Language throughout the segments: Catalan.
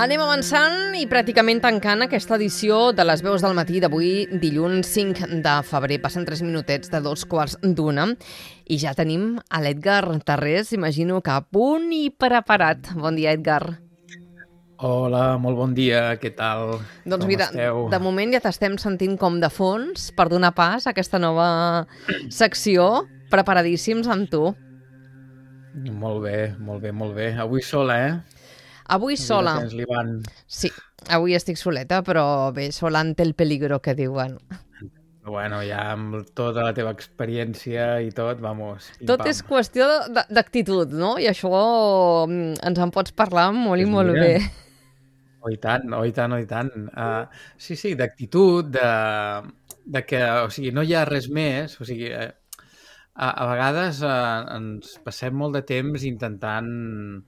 Anem avançant i pràcticament tancant aquesta edició de les veus del matí d'avui, dilluns 5 de febrer. Passen 3 minutets de 2:15 i ja tenim a l'Edgar Tarrés, imagino que a punt i preparat. Bon dia, Edgar. Hola, molt bon dia, què tal? Doncs Com mira, esteu? de moment ja t'estem sentint com de fons per donar pas a aquesta nova secció. Preparadíssims amb tu. Molt bé, molt bé, molt bé. Avui sola, eh? Avui sola. No tens l'Ivan. Sí, avui estic soleta, però bé, sola ante el peligro, que diuen. Bueno, ja amb tota la teva experiència i tot, vamos, Tot és qüestió d'actitud, no? I això ens en pots parlar molt i molt bé. Oh, i tant, oh, i tant, oh, i tant. Sí, d'actitud, de que, o sigui, no hi ha res més, o sigui, a vegades ens passem molt de temps intentant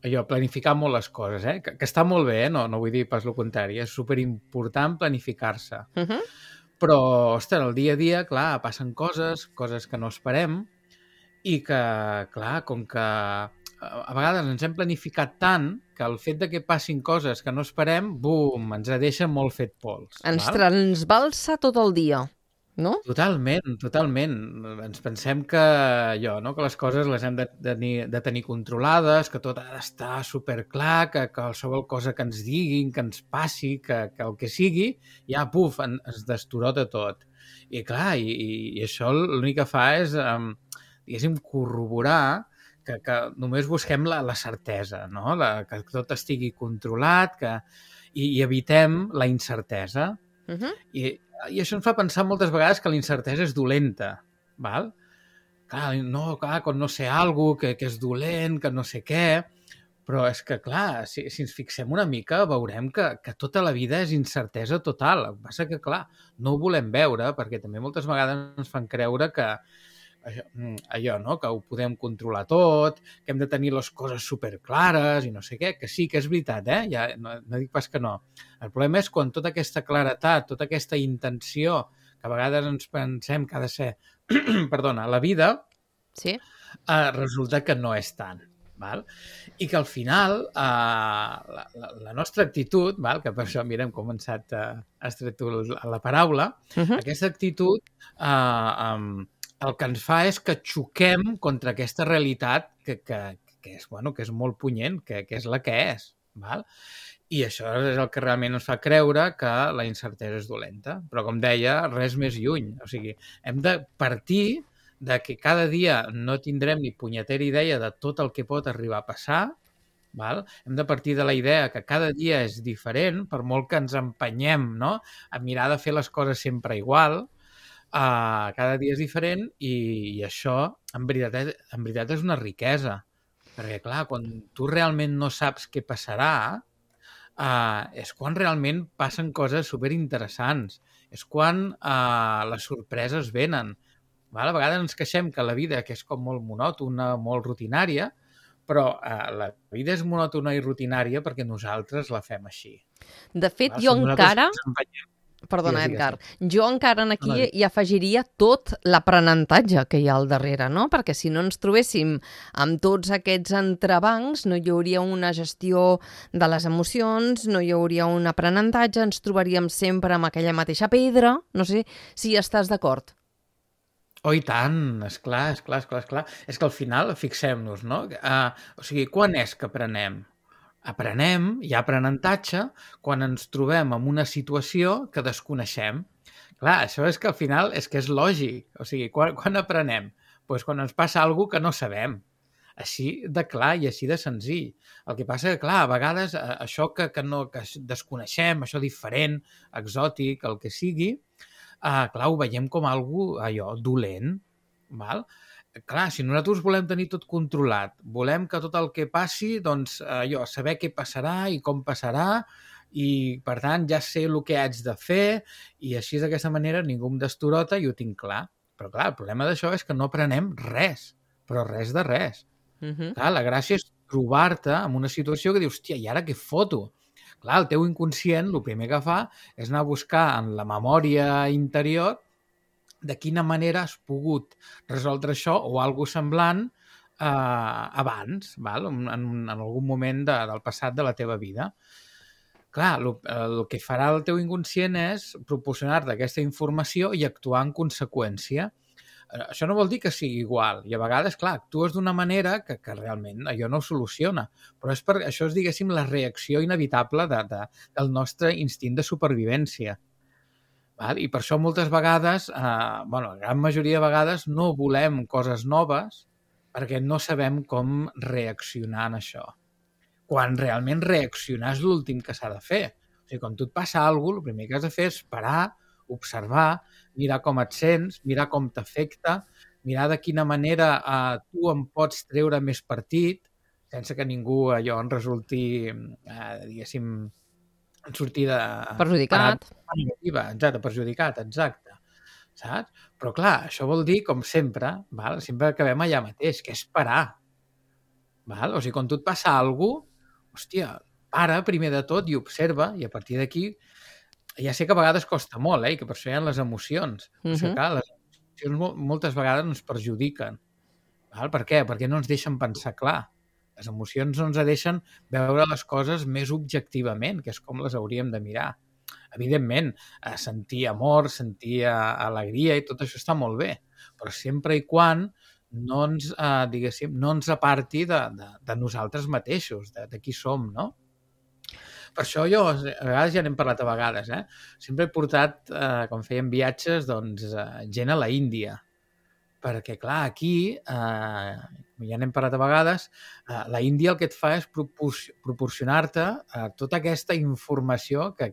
planificar molt les coses, que està molt bé, no vull dir pas el contrari, és superimportant planificar-se. Però, ostres, el dia a dia, clar, passen coses que no esperem i que, clar, com que a vegades ens hem planificat tant que el fet de que passin coses que no esperem, bum, ens deixa molt fet pols. Ens transbalsa tot el dia, no? Totalment, totalment. Ens pensem que que les coses les hem de tenir controlades, que tot ha d'estar superclar, que qualsevol cosa que ens diguin, que ens passi, que el que sigui, ja, puf, ens destorota tot. I clar, i això l'únic que fa és, diguéssim, corroborar que només busquem la certesa, no? Que tot estigui controlat, i evitem la incertesa. I això ens fa pensar moltes vegades que la incertesa és dolenta, val? Clar, quan no sé alguna cosa, que és dolent, que no sé què, però és que, clar, si ens fixem una mica, veurem que tota la vida és incertesa total. El que passa que, clar, no ho volem veure, perquè també moltes vegades ens fan creure que allò, no?, que ho podem controlar tot, que hem de tenir les coses superclares i no sé què, que sí, que és veritat, ja, no dic pas que no. El problema és quan tota aquesta claretat, tota aquesta intenció, que a vegades ens pensem que ha de ser, perdona, la vida, sí, resulta que no és tant. Val? I que al final la nostra actitud, val? Que per això, mira, hem començat, has tret tu la paraula, aquesta actitud el que ens fa és que xoquem contra aquesta realitat que és molt punyent, que és la que és. Val? I això és el que realment ens fa creure que la incertesa és dolenta. Però, com deia, res més lluny. O sigui, hem de partir de que cada dia no tindrem ni punyetera idea de tot el que pot arribar a passar. Val? Hem de partir de la idea que cada dia és diferent, per molt que ens empenyem, no?, a mirar de fer les coses sempre igual. Cada dia és diferent i això, en veritat és una riquesa. Perquè, clar, quan tu realment no saps què passarà, és quan realment passen coses superinteressants. És quan les sorpreses venen. Val? A vegades ens queixem que la vida, que és com molt monòtona, molt rutinària, però la vida és monòtona i rutinària perquè nosaltres la fem així. De fet, jo encara... Perdona, Edgar. Jo encara aquí hi afegiria tot l'aprenentatge que hi ha al darrere, no? Perquè si no ens trobéssim amb tots aquests entrebancs, no hi hauria una gestió de les emocions, no hi hauria un aprenentatge, ens trobaríem sempre amb aquella mateixa pedra. No sé si estàs d'acord. Oh, i tant, esclar. És que al final, fixem-nos, no? O sigui, quan és que aprenem? Aprenem, hi ha aprenentatge, quan ens trobem en una situació que desconeixem. Clar, això és que al final és lògic. O sigui, quan aprenem? Doncs quan ens passa alguna cosa que no sabem. Així de clar i així de senzill. El que passa que, clar, a vegades això que desconeixem, això diferent, exòtic, el que sigui, clar, ho veiem com allò dolent, val? Clar, si nosaltres volem tenir tot controlat, volem que tot el que passi, doncs, saber què passarà i com passarà, i, per tant, ja sé el que haig de fer, i així, d'aquesta manera, ningú em destorota i ho tinc clar. Però, clar, el problema d'això és que no aprenem res, però res de res. Clar, la gràcia és trobar-te en una situació que dius, hòstia, i ara què foto? Clar, el teu inconscient, el primer que fa és anar a buscar en la memòria interior de quina manera has pogut resoldre això o alguna semblant abans, val? En algun moment del passat de la teva vida. clar, el que farà el teu inconscient és proporcionar-te aquesta informació i actuar en conseqüència. Això no vol dir que sigui igual. I a vegades, clar, actues d'una manera que realment allò no ho soluciona. Però això és, diguéssim, la reacció inevitable del nostre instint de supervivència. Val? I per això moltes vegades, la gran majoria de vegades, no volem coses noves perquè no sabem com reaccionar en això. Quan realment reaccionar és l'últim que s'ha de fer. O sigui, quan tu et passa alguna cosa, el primer que has de fer és parar, observar, mirar com et sents, mirar com t'afecta, mirar de quina manera tu en pots treure més partit, sense que ningú allò en resulti, diguéssim, en sortir de... Perjudicat. Perjudicat, exacte. Saps? Però clar, això vol dir, com sempre, val? Sempre acabem allà mateix, que és parar. Val? O sigui, quan tu et passa alguna cosa, hòstia, para primer de tot i observa, i a partir d'aquí ja sé que a vegades costa molt, i que per això hi ha les emocions. O sigui, clar, les emocions moltes vegades ens perjudiquen. Val? Per què? Perquè no ens deixen pensar clar. Les emocions no ens deixen veure les coses més objectivament, que és com les hauríem de mirar. Evidentment, sentir amor, sentir alegria i tot això està molt bé, però sempre i quan no ens, diguéssim, no ens aparti de nosaltres mateixos, de qui som, no? Per això jo, a vegades ja n'hem parlat a vegades, sempre he portat, quan fèiem viatges, doncs, gent a la Índia. Perquè, clar, aquí, ja n'hem parlat a vegades, la Índia el que et fa és proporcionar-te tota aquesta informació que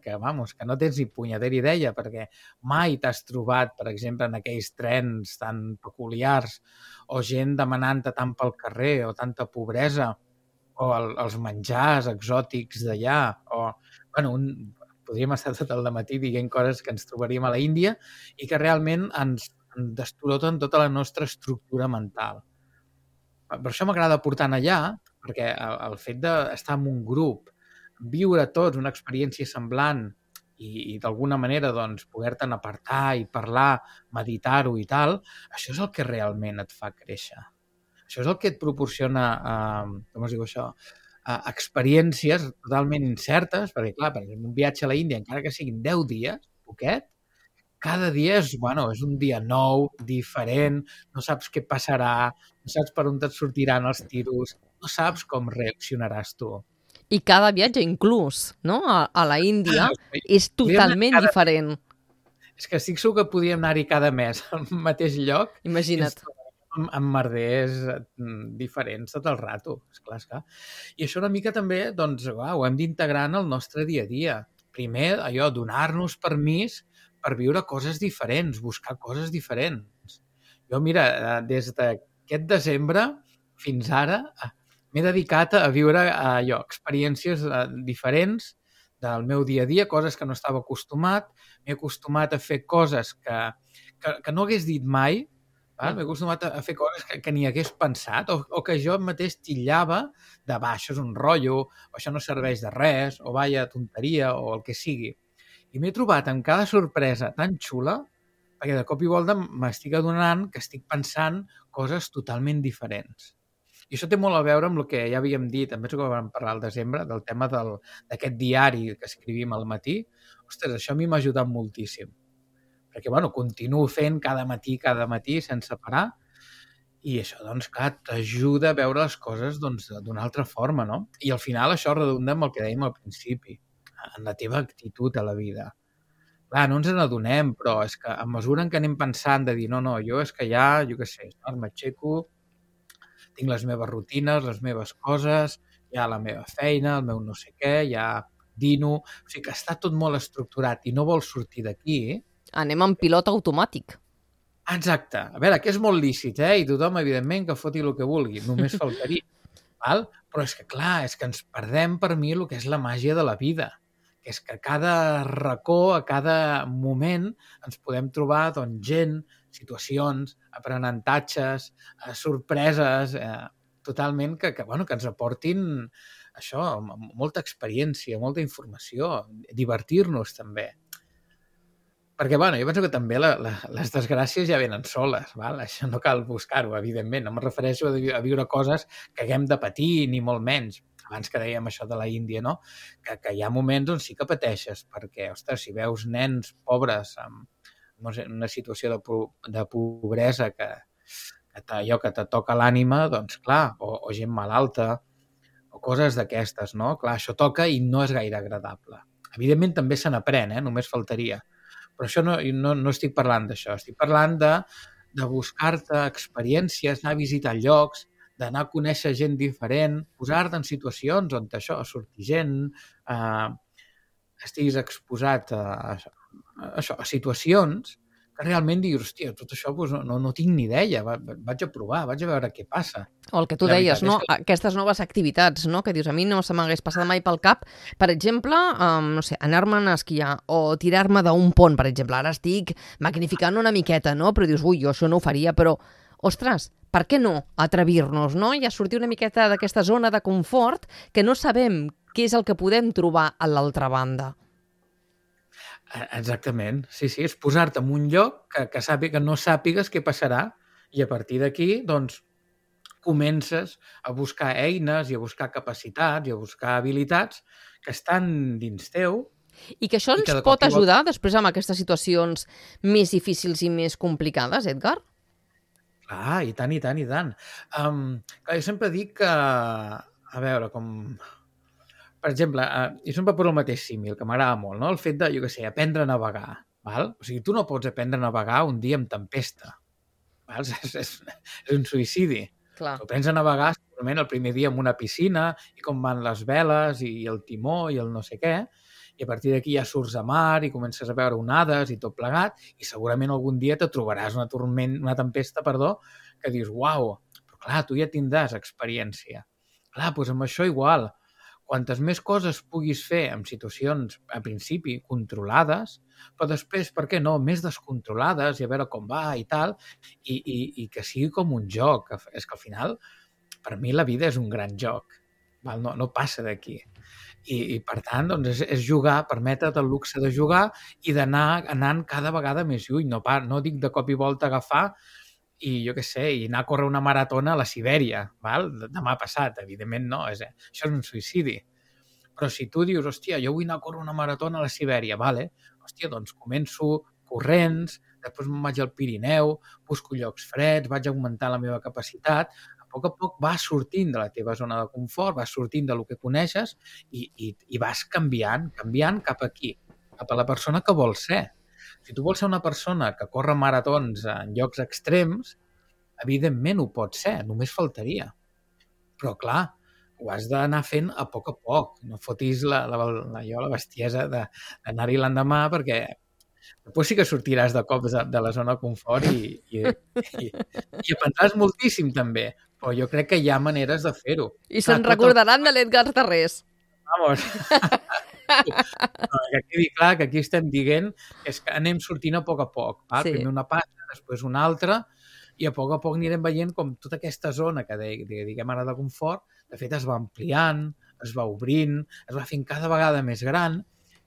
no tens ni punyetera idea, perquè mai t'has trobat, per exemple, en aquells trens tan peculiars, o gent demanant-te tant pel carrer, o tanta pobresa, o els menjars exòtics d'allà, o, podríem estar tot el dematí dient coses que ens trobaríem a la Índia i que realment ens destoroten tota la nostra estructura mental. Per això m'agrada portar allà, perquè el fet d'estar en un grup, viure tots una experiència semblant i d'alguna manera doncs, poder-te'n apartar i parlar, meditar-ho i tal, això és el que realment et fa créixer. Això és el que et proporciona, com es diu això, experiències totalment incertes, perquè, clar, per exemple, un viatge a la Índia, encara que siguin 10 dies, poquet, cada dia és un dia nou, diferent, no saps què passarà, no saps per on et sortiran els tiros, no saps com reaccionaràs tu. I cada viatge, inclús, no? A la Índia, és totalment diferent. És que estic segur que podríem anar-hi cada mes al mateix lloc. Imagina't. Amb merders diferents tot el rato, esclar. I això una mica també, doncs, ho hem d'integrar en el nostre dia a dia. Primer, allò, donar-nos permís per viure coses diferents, buscar coses diferents. Jo, mira, des d'aquest desembre fins ara m'he dedicat a viure experiències diferents del meu dia a dia, coses que no estava acostumat. M'he acostumat a fer coses que no hagués dit mai. M'he acostumat a fer coses que ni hagués pensat o que jo mateix titllava de això és un rotllo, o això no serveix de res, o vaya tonteria, o el que sigui. I m'he trobat amb cada sorpresa tan xula perquè de cop i volta m'estic adonant que estic pensant coses totalment diferents. I això té molt a veure amb el que ja havíem dit, em penso que vam parlar al desembre, del tema d'aquest diari que escrivim al matí. Ostres, això a mi m'ha ajudat moltíssim. Perquè, continuo fent cada matí sense parar i això, doncs, clar, t'ajuda a veure les coses d'una altra forma, no? I al final això redunda amb el que dèiem al principi, en la teva actitud a la vida. Clar, no ens n'adonem, però és que a mesura en què anem pensant de dir no, jo és que ja, jo què sé, m'aixeco, tinc les meves rutines, les meves coses, hi ha la meva feina, el meu no sé què, ja dino... O sigui que està tot molt estructurat i no vols sortir d'aquí, anem en pilot automàtic. Exacte. A veure, que és molt lícit, i tothom, evidentment, que foti el que vulgui. Només faltaria. Val? Però és que, clar, és que ens perdem per mi el que és la màgia de la vida. Que és que a cada racó, a cada moment, ens podem trobar doncs, gent, situacions, aprenentatges, sorpreses, totalment que ens aportin això, molta experiència, molta informació, divertir-nos també. Perquè, jo penso que també les desgràcies ja venen soles, val? Això no cal buscar-ho, evidentment. No me refereixo a viure coses que haguem de patir, ni molt menys. abans que dèiem això de la Índia, no? Que hi ha moments on sí que pateixes, perquè, ostres, si veus nens pobres en una situació de pobresa que te toca l'ànima, doncs clar, o gent malalta, o coses d'aquestes, no? Clar, això toca i no és gaire agradable. Evidentment també se n'aprèn, només faltaria. Però això no estic parlant d'això, estic parlant de buscar-te experiències, anar a visitar llocs, d'anar a conèixer gent diferent, posar-te en situacions on això surti gent, estiguis exposat a situacions que realment diguis, hòstia, tot això doncs, no tinc ni idea, vaig a provar, vaig a veure què passa. O el que tu deies, no? Aquestes noves activitats, no? Que dius, a mi no se m'hagués passat mai pel cap, per exemple, no sé, anar-me'n a esquiar o tirar-me d'un pont, per exemple. Ara estic magnificant una miqueta, no? Però dius, ui, jo això no ho faria, però, ostres, per què no atrevir-nos, no? I a sortir una miqueta d'aquesta zona de confort que no sabem què és el que podem trobar a l'altra banda. Exactament, sí, és posar-te en un lloc que no sàpigues què passarà i a partir d'aquí, doncs, comences a buscar eines i a buscar capacitats i a buscar habilitats que estan dins teu. I que això ens pot ajudar després amb aquestes situacions més difícils i més complicades, Edgar? Clar, i tant, i tant, i tant. Jo sempre dic que, a veure, com... Per exemple, jo sempre poso el mateix símil, que m'agrada molt, no? El fet de, jo què sé, aprendre a navegar, val? O sigui, tu no pots aprendre a navegar un dia amb tempesta, val? És un suïcidi. Clar. Tu aprens a navegar segurament el primer dia en una piscina i com van les veles i el timó i el no sé què, i a partir d'aquí ja surts a mar i comences a veure onades i tot plegat i segurament algun dia te trobaràs una tempesta, que dius, uau, però clar, tu ja tindràs experiència. Clar, doncs amb això igual. Quantes més coses puguis fer en situacions, a principi, controlades, però després, per què no, més descontrolades i a veure com va i tal, i que sigui com un joc. És que al final, per mi la vida és un gran joc, val? No passa d'aquí. I per tant, doncs, és jugar, permetre't el luxe de jugar i d'anar anant cada vegada més lluny. No dic de cop i volta agafar i jo què sé, i anar a córrer una maratona a la Sibèria, val? Demà passat, evidentment no, això és un suïcidi. Però si tu dius, hòstia, jo vull anar a córrer una maratona a la Sibèria, vale? Hòstia, doncs començo corrents, després me'n vaig al Pirineu, busco llocs freds, vaig augmentar la meva capacitat, a poc vas sortint de la teva zona de confort, vas sortint del que coneixes i vas canviant cap aquí, cap a la persona que vols ser. Si tu vols ser una persona que corre maratons en llocs extrems, evidentment ho pots ser, només faltaria. Però, clar, ho has d'anar fent a poc. No fotis la bestiesa d'anar-hi l'endemà perquè després sí que sortiràs de cops de la zona de confort i aprendràs moltíssim també, però jo crec que hi ha maneres de fer-ho. I se'n recordaran de l'Edgar Tarrés. Vamos... que quedi clar que aquí estem dient és que anem sortint a poc. Val? Sí. Primer una passa, després una altra, i a poc anirem veient com tota aquesta zona que diguem ara de confort, de fet es va ampliant, es va obrint, es va fent cada vegada més gran,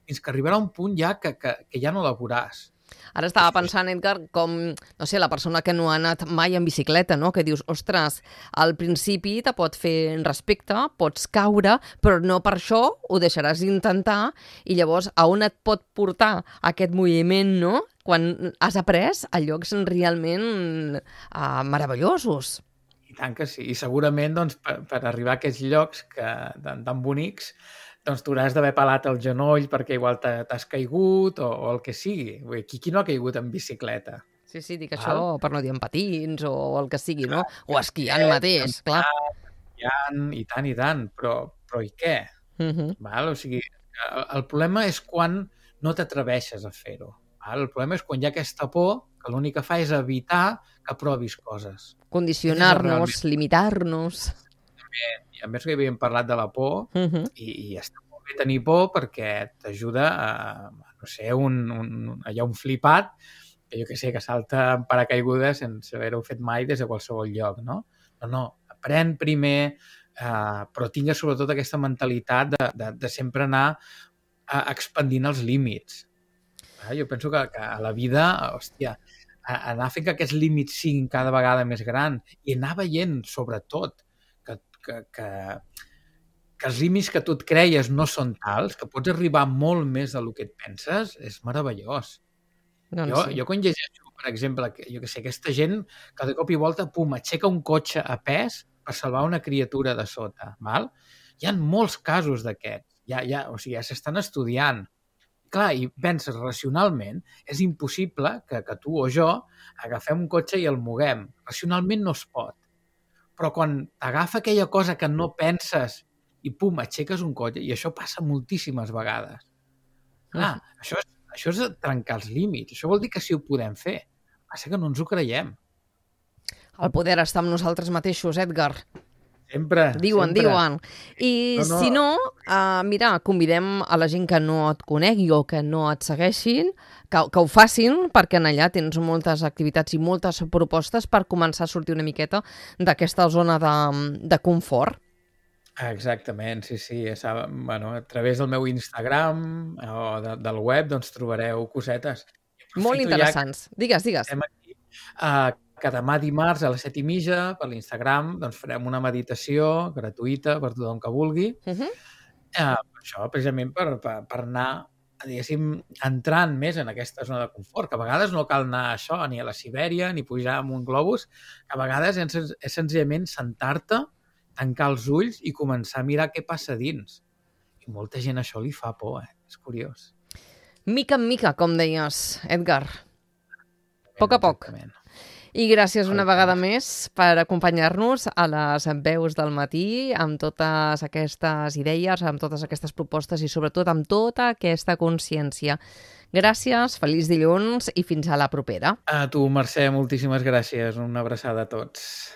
fins que arribarà un punt ja que ja no la veuràs. Ara estava pensant, Edgar, com, no sé, la persona que no ha anat mai en bicicleta, no? Que dius, ostres, al principi te pot fer respecte, pots caure, però no per això ho deixaràs d'intentar i llavors a on et pot portar aquest moviment, no? Quan has après a llocs realment meravellosos. I tant que sí. I segurament doncs, per arribar a aquests llocs tan bonics, doncs tu hauràs d'haver pelat el genoll perquè igual t'has caigut o el que sigui. Qui no ha caigut en bicicleta? Sí, dic això per no dir en patins o el que sigui, no? O esquiant mateix, clar. Esquiant, i tant, però i què? Val? O sigui, el problema és quan no t'atreveixes a fer-ho. El problema és quan hi ha aquesta por que l'únic que fa és evitar que provis coses. Condicionar-nos, limitar-nos... I a més que havíem parlat de la por i està molt bé tenir por perquè t'ajuda a, no sé, hi ha un flipat que jo que sé, que salta en paracaigudes sense haver-ho fet mai des de qualsevol lloc, no? No, aprèn primer, però tinga sobretot aquesta mentalitat de sempre anar expandint els límits. Jo penso que a la vida, hòstia, anar fent que aquests límits siguin cada vegada més grans i anar veient, sobretot, que que els límits que tu et creies no són tals, que pots arribar molt més del que et penses, és meravellós. Doncs sí. Jo quan llegeixo, per exemple, jo que sé, aquesta gent que de cop i volta, pum, aixeca un cotxe a pes per salvar una criatura de sota, val? Hi ha molts casos d'aquests, o sigui, ja s'estan estudiant. Clar, i penses racionalment, és impossible que tu o jo agafem un cotxe i el moguem. Racionalment no es pot. Però quan t'agafa aquella cosa que no penses i pum, aixeques un cotxe, i això passa moltíssimes vegades. Clar, això és trencar els límits. Això vol dir que sí ho podem fer. Passa que no ens ho creiem. El poder està amb nosaltres mateixos, Edgar. Sempre. Diuen. I si no, mira, convidem a la gent que no et conegui o que no et segueixin, que ho facin, perquè en allà tens moltes activitats i moltes propostes per començar a sortir una miqueta d'aquesta zona de confort. Exactament, sí. Bueno, a través del meu Instagram o del web doncs trobareu cosetes. Molt interessants. Digues. Estem aquí. Que demà dimarts a les 7:30 per l'Instagram doncs farem una meditació gratuïta per tothom que vulgui. Això precisament per anar, diguéssim, entrant més en aquesta zona de confort, que a vegades no cal anar a això, ni a la Sibèria, ni pujar amb un globus, que a vegades és senzillament sentar-te, tancar els ulls i començar a mirar què passa dins. I molta gent això li fa por, És curiós. Mica en mica, com deies, Edgar. A poc. I gràcies una vegada més per acompanyar-nos a les veus del matí amb totes aquestes idees, amb totes aquestes propostes i sobretot amb tota aquesta consciència. Gràcies, feliç dilluns i fins a la propera. A tu, Mercè, moltíssimes gràcies. Una abraçada a tots.